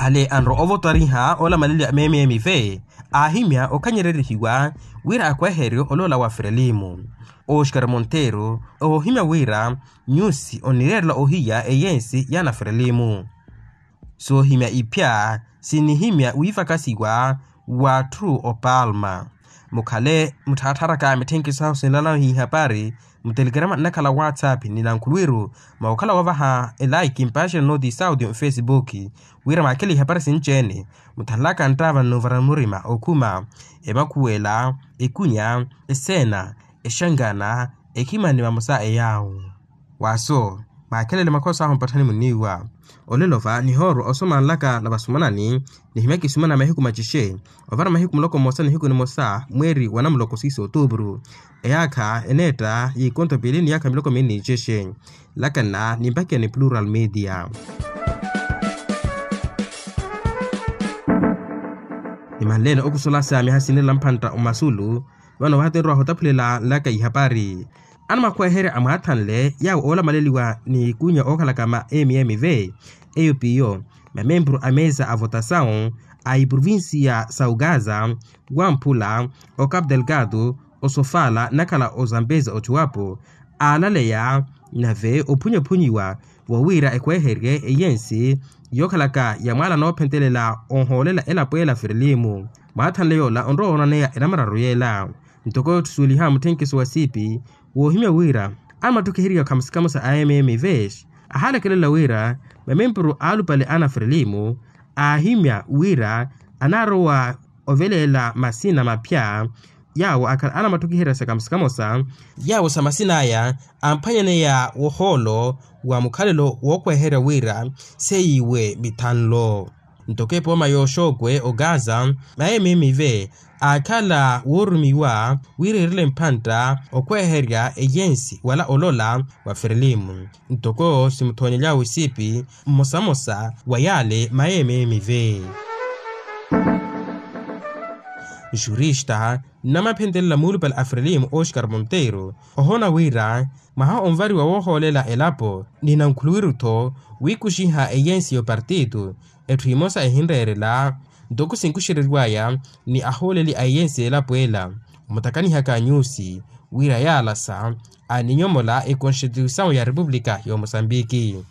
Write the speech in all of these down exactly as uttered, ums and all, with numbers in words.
Ale anro ovotwariha olamaleliwa memeemive aahimya okhanyererihiwa wira akweheryo oloola wa frelimu. Oxkar monteiro oohimya wira nyusi onireerela ohiya eyensi y'ana frelimu. Soohimya iphya sinihimya wiivakasiwa w'atthu opalma. Mukhale mutthattharaka mitthenkiso sahu sinlanahu ihapari mutelekerama nnakhala whatsapp ni nankhulwiru mwa okhala woovaha elaiki mpaxina nooti saudi mfesibuki wira mwakhele ihapari sinci-ene. Muthanlaka nttaava nnuuvara murima okhuma emakhuwela ekunya eseena exangana ekhimani vamosa eyaawo. Waaso maakhelele makhosa ahu mpatthani munniiwa. Olelo va nihoorwa osoma nlaka na vasumanani nihimyaka isumana mahiku macixe ovara mahiku muloko mmosa nihiku nimosa mweeri wa namuloko siiso otuupuru eyaakha eneetta y'ikonto piili ni yaakha miloko miili ni cixe. Nlaka nna nimpakiya ni plural media. Nimanleene okusola sa miha sinirela mphantta omasulu vano vahatenrwa ohotaphulela nlaka ihapari. Anamakweherya amwaathanle yaawo oolamaleliwa ni ikunya ookhalaka ma mm v eyo piyo mamempuru a mesa a votasawu a iprovincia sa ugaza wamphula o cap delgado osofala nnakhala ozambeza ochuwapo aalaleya nave ophunyaphunyiwa vowiira ekweherye eyensi yookhalaka ya mwaala noophentelela ohoolela elapo ela firilimu. Mwaathanle yoola onrowa woonaneya enamararu yeela ntoko otthusuweliha mutthenkiso wa siipi woohimya wira anamattukhiheriwa khamusikhamusa a mm v ahaalekelela wira mamempuru aalupale ana firilimu aahimya wira anaarowa oveleela masina maphya yaawo akhala anamattukiherya sa kamosa kamosa yaawo sa masin'aya amphwanyaneya wohoolo wa mukhalelo wookweherya wira seiwe mithanlo. Ntoko epooma yooxookwe ogaza ma mm v aakhala woorumiwa wira eerele mphantta okweherya eyensi wala olola wa firilimu ntoko simuthoonyelyawe isiipi mmosamosa wa yaale ma mm v. Jurista nnamaphentelela muulupale a frelimu oxkar monteiro ohoona wira mwaha onvariwa woohoolela elapo ni nankhuluwiru-tho wiikuxiha eyensi y'opartitu etthu emosa ehinreerela ntoko sinkuxereriw'aya ni ahooleli a eyensi y'elapo ela omutakanihaka nyusi wira yaalasa aninyomola ekonstituisawu ya repupulika y'omosambiki.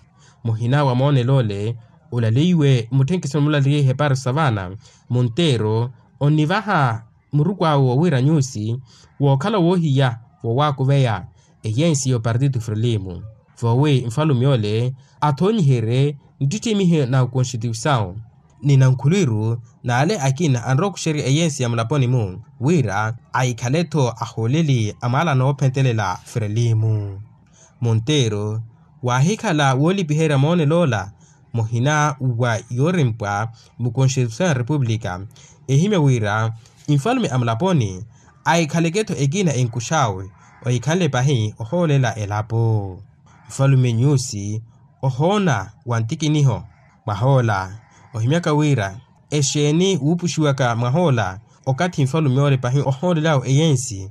Muhina wa moonelo ole olaleiwe mutthenkisoni mulaliye ihepari savana monteiro onnivaha muruku awe woowira nyusi wookhala woohiya wowaakuveya eyensi y'opartito frelimu voowi nfalume ole athoonyiherye nttittimihe na okonstituisawu ni nankhulwiru n'ale akina anrowa okuxerya eyensi ya mulaponi-mu wira ahikhale-tho ahooleli a mwaala noophentelela frelimu. Monteiro waahikhala woolipiherya moonelo ola muhina wa yoorimpwa mukonstituisawu ya repupulika ehimya wira nfalume a mulaponi ahikhaleke-tho ekina enkux'awe ohikhanle pahi ohoolela elapo. Nfalume nyusi ohoona wa ntikiniho mwahoola ohimyaka wira exeeni wuupuxiwaka mwahoola okathi nfalume ole pahi ohoolel'awe eyensi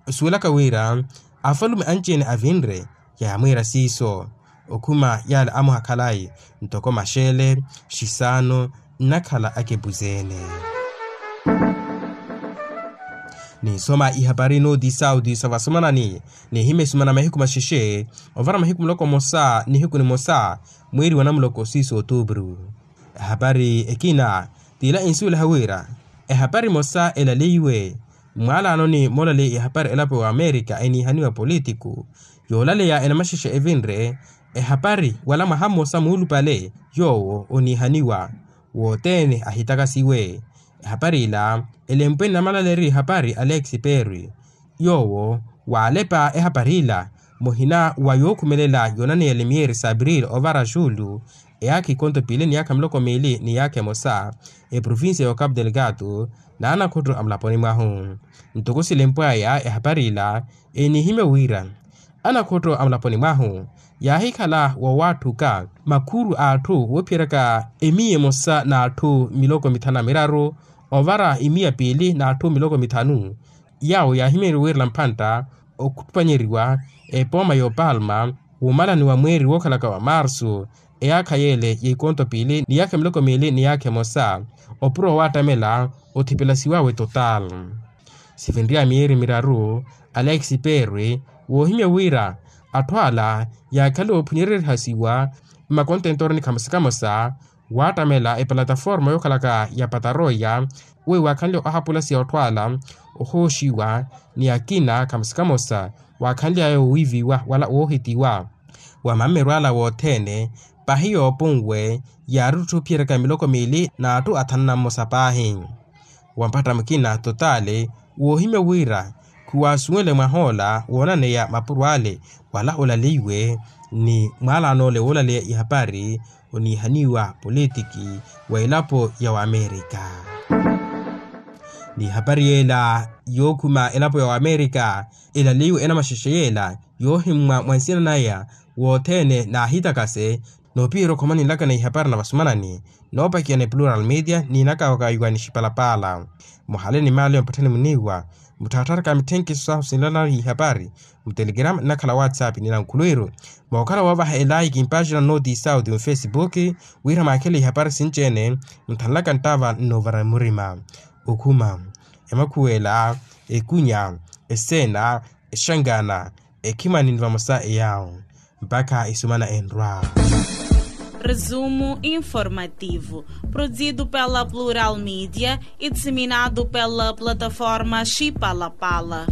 osuwelaka wira afalume anci-ene avinre yaamwiira siiso okhuma yaale amuha khalayi ntoko maxele xisaano nnakhala akepuzene. Ninsoma ihapari nooti saudi sa vasomanani nihimya esumana mahiku maxexe ovara mahiku muloko mmosa nihiku nimosa mweeri wa namuloko siiso otuupuru. Ehapari ekina t'ila ensuweliha wira ehapari emosa elaleiwe mwaalaanoni moolaleya ihapari elapo wa amerika eniihaniwa politiku yoolaleya enamaxexe evinre ehapari wala mwaha mmosa muulupale yoowo oniihaniwa wothene ahitakasiwe. Ehapari ila elempwe ni namalaleri ihapari alex perry yoowo waalepa ehapari ila muhina wa yookhumelela yoonaneya lemiyeri sabril ovara xulu eyaakha ikonto piili ni yaakha miloko miili ni yaakha emosa eprovincia ya ocapo delgado n'anakhotto a mulaponi mwahu. Ntoko silempw'aya ehapari ila enihimya wira anakhotto a mulaponi mwahu yaahikhala woowatthuka makhuru a atthu woophiyeryaka emiya emosa n'atthu miloko mithanu na miraru ovara imiya piili n'atthu miloko mithanu yaawo yaahimyeriwe wiirela mphantta okhupanyeriwa epooma y'opalma wumalani wa mweeri wookhalaka wa marsu eyaakha yeele ya ikonto piili ni yaakha miloko miili ni yaakha emosa, opuro waattamela othipelasiwawe total. Sivinriya miyeeri miraru, alex perry woohimya wira atthu ala yaakhale oophunyereryihasiwa mmakontentoroni kamosa kamosa, waattamela epalataforma yookhalaka ya pataroya, weiwo waakhanle ohapulasiya otthu ala ohooxiwa ni akina kamosa kamosa, waakhanly'aya owiiviwa wala woohitiwa wa mammerwala wothene. Pahi yoopunwe yaari otthu ophiyeryaka miloko miili n'atthu athanu na mmosa paahi. Wampatta mukina totaali woohimya wira khuwaasuwenle mwah'ola woonaneya mapuro ale wala olaleiwe ni mwaalanoole woolaleya ihapari oniihaniwa politiki wa elapo ya wamerika. Ni ihapari yeela yookhuma elapo ya wamerika elaleiwe enamaxexe yeela yoohimmwa mwa nsina naya wothene naahitakase noopiherya okhomanilaka na ihapari na vasumanani noopakiya ni plural media niinakawaka iwa ni xipalapala. Muhale ni maali ompatthani muniiwa mutthaattharaka mitthenkhiso sahu sinlana ihapari mutelegrama nnakhala whatsapp ni nankhuluwiru mookhala woovaha elaiki mpaxina noti sauti mufesipuki wira mwaakhele ihapari sinci-ene muthanlaka nttava nnoovara murima okhuma emakhuwela ekunya eseena exangana ekhimani ni vamosa eyaawo mpakha esumana enrwa. Resumo informativo, produzido pela Plural Media e disseminado pela plataforma Chipalapala.